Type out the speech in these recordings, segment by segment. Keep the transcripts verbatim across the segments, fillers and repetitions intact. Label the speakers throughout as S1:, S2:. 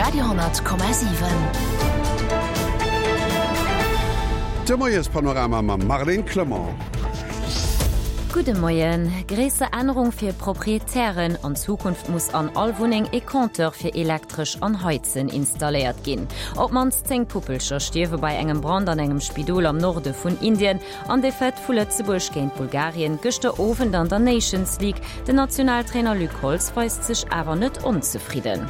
S1: Radio honnert Komma siwen.
S2: De Moiespanorama mam Marlène Clement.
S3: Gudde Moien. Gréisser Ännerung fir Proprietären, An Zukunft muss an all Wunneng e Compteur fir Elektresch an Heizen installéiert ginn. Op d'mannst zéng Puppelcher stierwe bei engem Brand an engem Spidol am Norde vun Indien. An Defaite vu Lëtzebuerg géint Bulgarien gëschter Owend an der Nations League. Den Nationaltrainer Luc Holtz weist sech awer net onzefridden.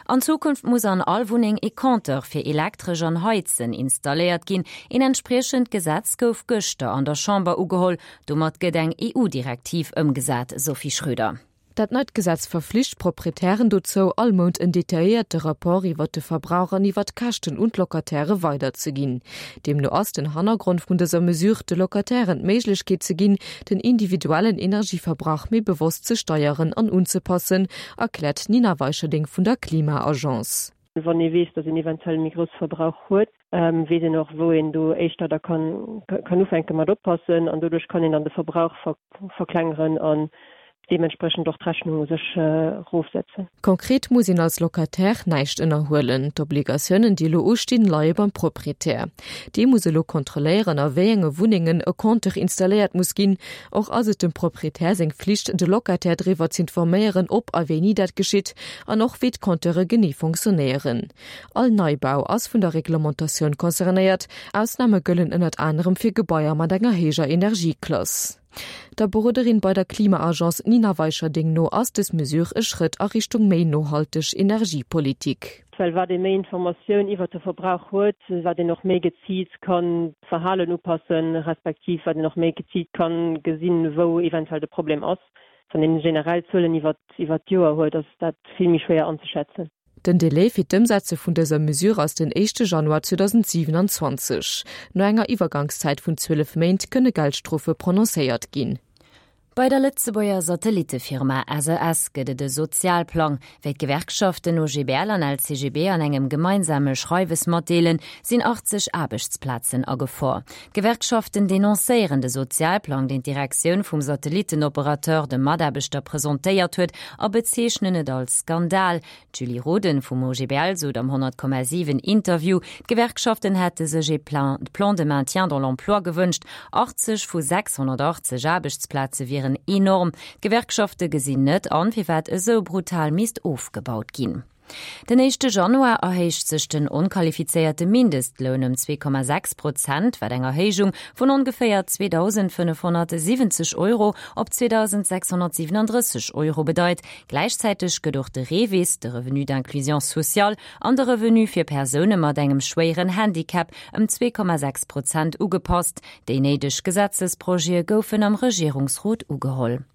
S3: An Zukunft muss an all Wunneng e Compteur fir Elektresch an Heizen installéiert ginn. Een entspriechend Gesetz gouf gëschter an der Chamber ugeholl. Domat gëtt eng E U-Direktiv ëmgesat, Sophie Schröder.
S4: Dat neit Gesetz verflicht d'Proprietären dozou, all Mount en detailléierte Rapport iwwer de Verbrauch an iwwer d'Käschten un d'Locataire weiderzeginn. Deemno ass den Hannergrond vun dëser Mesure, de Locatairen d'Méiglechkeet ze ginn, den individuellen Energieverbrauch méi bewosst ze steieren an unzepassen, erkläert d'Nina Weicherding vun der Klima-Agence.
S5: Wann ee weess, datt een eventuell méi grousse Verbrauch huet, weess een och, wou een do éischter da kann kann ufänke mat oppassen an doduerch kann een dann de Verbrauch verklengeren an deementsprechend och d'Rechnung u sech erofsetzen.
S4: Konkret muss een als Locataire näischt ënnerhuelen. D'Obligatiounen, déi elo ustinn, leie beim Proprietär. Dee muss elo kontrolléieren, a wéi enge Wunnengen e Compteur installéiert muss ginn. Och ass et dem Proprietär seng Flicht, de Locataire driwwer z'informéieren, ob a wéini dat geschitt an och wéi d'Compteure genee fonctionnéieren. All Neibau ass vun der Reglementatioun concernéiert, Ausname gëllen ënnert anerem fir Gebaier mat enger héijer Energieklass. Der Beroderin bei der Klima-Agence Nina Weicherding no ass dës Mesure e Schrëtt a Richtung méi nohalteg Energiepolitik.
S5: Well wat ee méi Informatioun iwwert de Verbrauch huet, wat een och méi geziilt kann d'Verhalen upassen, respektiv wat een och méi geziilt kann gesinn, wou eventuell de Problem ass. Wann een generell Zuelen iwwert iwwert d'Joer huet, ass dat vill méi schwéier anzeschätzen.
S4: Den Delai fir d'Ëmsetze vun dëser Mesure ass den éischte Januar zweedausendsiewenanzwanzeg. No enger Iwwergangszäit vun zwielef Méint kënne Geldstrofe prononcéiert ginn.
S3: Bei der Lëtzebuerger Satellittefirma S E S gëtt et e Sozialplang. Wéi d'Gewerkschaften O G B L an L C G B an engem gemeinsame Schreiwes matdeelen, sinn achtzeg Aarbechtsplazen a Gefor. D'Gewerkschaften denoncéieren de Sozialplang, deen d'Direktioun vum Satellittenoperateur de Mataarbechter presentéiert huet, a bezeechnen et als Skandal. D'Julie Roden vum O G B L sot am honnert Komma siwen Interview, d'Gewerkschaften hätte sech e Plan Plan de maintien dans l'emploi gewënscht. achtzeg vu sechshonnertachtzeg Aarbechtsplaze wieren enorm. D'Gewerkschafte gesinn net an, firwat esou brutal misst ofgebaut ginn. Den éischte Januar erhéicht sech den onqualifizéierte Mindestloun ëm zwee Komma sechs Prozent, wat eng Erhéijung vun ongeféier zweedausendfënnefhonnertsiwwenzeg Euro op zweedausendsechshonnertsiwwenundrësseg Euro bedeit. Gläichzäiteg gëtt och de REVIS, de Revenu d'inclusion sociale, an de Revenu fir Persoune mat engem schwéieren Handicap ëm zwee Komma sechs Prozent ugepasst. Déi néideg Gesetzesprojete goufen am Regierungsrot ugeholl.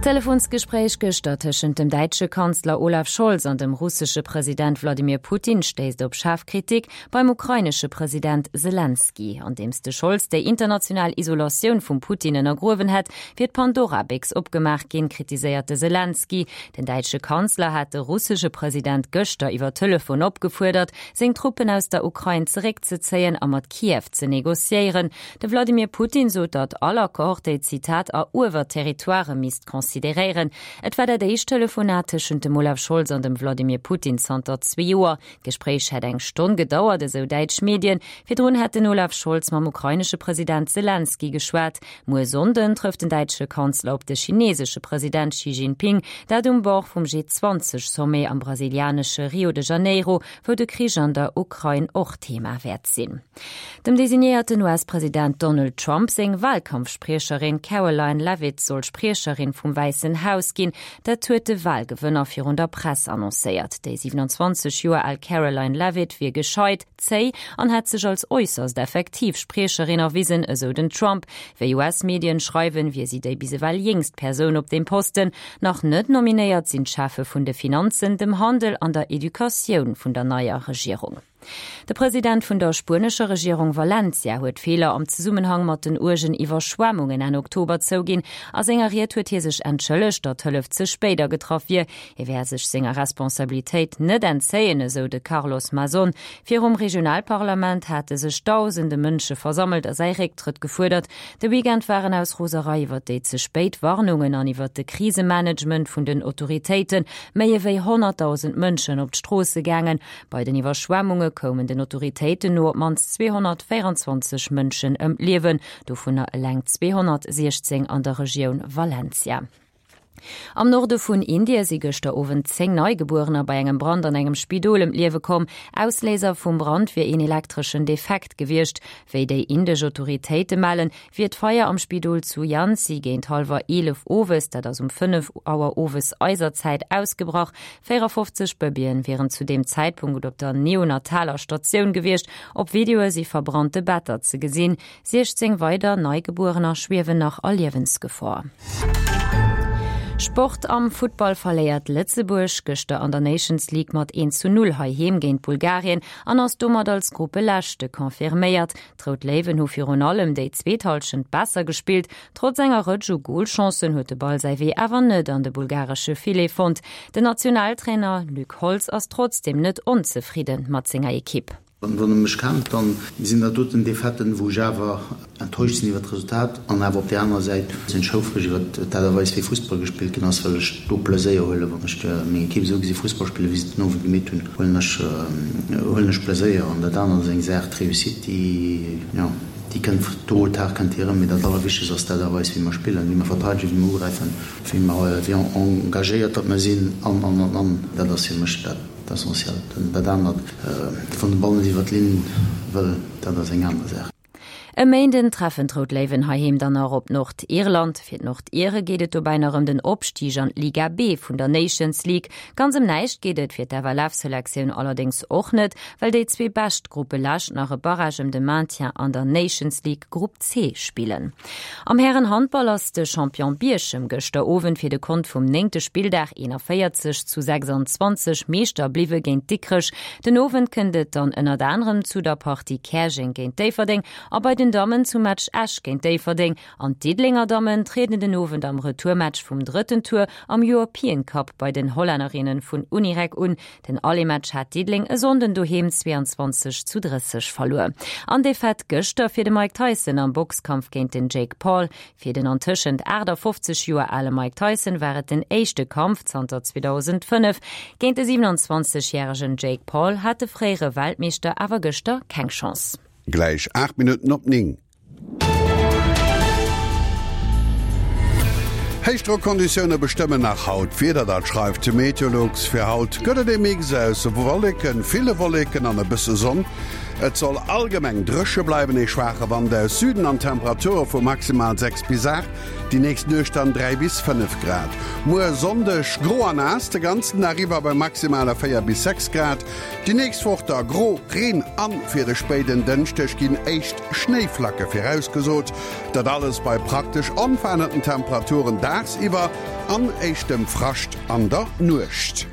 S3: D'Telefonsgespréich gëschter tëschent dem däitsche Kanzler Olaf Scholz an dem russesche President Wladimir Putin stéisst op schaarf Kritik beim ukrainesche President Selenskyj. Andeems de Scholz déi international Isolatioun vum Putin ënnergruewen hätt, wier d'Pandora-Béchs opgemaach ginn, kritiséiert de Selenskyj. Den däitsche Kanzler hat de russesche President gëschter iwwer Telefon opgefuerdert, seng Truppen aus der Ukrain zeréckzezéien a mat Kiew ze negociéieren. De Wladimir Putin sot, datt all Accord déi, Zitat, eruewert Territoirë misst consideréieren. Et war dat éischt Telefonat tëschent dem Olaf Scholz an dem Wladimir Putin zanter zwee Joer. D'Gespréich hätt eng Stonn gedauert, esou däitsch Medien. Virdrun hätt den Olaf Scholz mam ukrainesche President Selenskyj geschwat. Muer Sonnden trëfft den däitsche Kanzler op de chinesesche President Xi Jinping, dat um Bord vum G zwanzeg Sommet am brasilianesche Rio de Janeiro, wou de Krich an der Ukrain och Thema wäert sinn. Dem designéierten U S-President Donald Trump seng Walkampfspriecherin Karoline Leavitt soll Spriecherin vum Wäissen Haus ginn, dat huet de Walgewënner virun der Press annoncéiert. Déi siewenundzwanzeg Joer al Karoline Leavitt wier gescheit, zéi an hätt sech als äusserst effektiv Spriecherin erwisen, esou den Trump. Wéi U S-Medien schreiwen, wier si déi bis ewell jéngst Persoun op deem Posten. Nach net nominéiert sinn d'Cheffe vun de Finanzen, dem Handel an der Educatioun vun der neier Regierung. De President vun der spuenescher Regierung Valencia huet Feeler am Zesummenhang mat den uergen Iwwerschwemmungen Enn Oktober zouginn. A senger Ried huet hie sech entschëllegt, datt d'Hëllef ze spéit agetraff wier. Hie wäert sech senger Responsabilitéit net entzéien, esou de Carlos Mazón. Virum Regionalparlament hate sech dausende Mënsche versammelt a säi Récktrëtt gefuerdert. De Weekend waren aus Roserei iwwer déi ze spéit Warnungen an iwwer de Krisemanagement vun den Autoritéite méi ewéi honnertdausend Mënschen op d'Stroosse gaangen. Bei den Iwwerschwemmunge koumen den Autoritéiten no op d'mannst zweehonnertvéierenzwanzeg Mënschen ëm d'Liewen, dovunner eleng zweehonnertsiechzéng an der Regioun Valencia. Am Norde vun Indie si gëschter Owend zéng Neigebuerener bei engem Brand an engem Spidol ëm d'Liewe komm. Ausléiser vum Brand wier een elektreschen Defekt gewiescht. Wéi déi indesch Autoritéite mellen, wier d'Feier am Spidol zu Jhansi géint hallwer eelef owes, dat ass um fënnef Auer owes eiser Zäit, ausgebrach. véierafofzeg Bëbeeën wieren zu deem Zäitpunkt op der neonataler Statioun gewiescht. Op Videoe si verbrannte Better ze gesinn. siechzéng weider Neigebuerener schwiewen nach a Liewensgefor. Sport, Am Futtball verléiert Lëtzebuerg gëschter an der Nations League mat een zu null heiheem géint Bulgarien an ass domat als Gruppeleschte confirméiert. D'Rout Léiwen hu virun allem déi zweet Hallschent besser gespillt. Trotz enger Rëtsch u Golchancen huet de Ball säi Wee awer net an de bulgaresche Filet fonnt. Den Nationaltrainer Luc Holtz ass trotzdeem net onzefridde mat senger Ekipp.
S1: Wann e mech kennt, dann sinn dat doten Defaitë wou ech awer enttäuscht sinn iwwer d'Resultat an awer op där anerer Säit sinn ech houfreg iwwer d'Aart a Weis wéi Fussball gespillt ginn ass, well ech do Pleséier huelen. Wann ech meng Ekipp esou gesi Fussball spillen, wéi se den Owend gemeet hunn, huelen ech huelen ech Pleséier. An dat anert ass eng Saach, d'Réussite, déi, jo, déi kënnt tôt ou tard kënnt déi erëm. Mee dat Allerwichtegst ass d'Aart a Weis wéi mer spillen, wéi mer verteidegen, wéi mer ugräifen, wéi mer, wéi engagéiert datt mer sinn an, an, an, an. Dat ass fir mech dat. D'Essentiellt. Dat anert, wann de Ball net iwwer d'Linn wëll, dat ass eng aner Saach.
S3: E Méinden treffen d'Rout Léiwen heiheem dann nach op Nordirland. Fir d'Nordire geet et dobäi nach ëm den Opstig an d'Liga B vun der Nations League. Ganz ëm näischt geet et fir d'F L F-Selektioun allerdéngs och net, well déi zwee bescht Gruppelescht nach e Barrage ëm de Maintien an der Nations League Grupp C spillen. Am Hären-Handball ass de Champion Bierchem gëschter Owend fir de Kont vum néngte Spilldag eenanvéierzeg zu sechsanzwanzeg Meeschter bliwwe géint Dikrech. Den Owend kënnt et dann ënnert anerem zu der Partie Käerjeng géint Déifferdeng a bei den Dammen zum Match Esch géint Déifferdeng. An d'Diddelenger Dammen trieden den Owend am Retourmatch vum drëtten Tour am European Cup bei den Hollännerinnen vun Unirec un. Den Aller-Match hat Diddeleng e Sonnden doheem zweiandzwanzeg zu drësseg verluer. An Defaite gëschter fir de Mike Tyson am Boxkampf géint den Jake Paul. Fir den antëschent aachtafofzeg Joer ale Mike Tyson war et den éischte Kampf zanter zweedausendfënnef. Géint de siewenundzwanzeg-järegen Jake Paul hat de fréiere Weltmeeschter awer gëschter keng Chance.
S2: Gläich aacht Minutten op néng. Héichdrockonditioune bestëmmen nach haut d'Wieder, dat schreift d'Meteolux. Fir haut gëtt et e Mix aus Wolleken, ville Wolleken an e bësse Sonn. Et soll allgemeng dréche bleiwen, ee schwaache Wand aus Süden an Temperature vu maximal sechs bis aacht, déi nächst Nuecht dann dräi bis fënnef Grad. Muer Sonndeg gro an naass de ganzen Dag iwwer bei maximale véier bis sechs Grad. Déi nächst Woch da gro, Reen an fir de spéiden Dënschdeg ginn éischt Schnéiflacke virausgesot. Dat alles bei praktesch onverännerten Temperaturen dagsiwwer an éischtem Frascht an der Nuecht.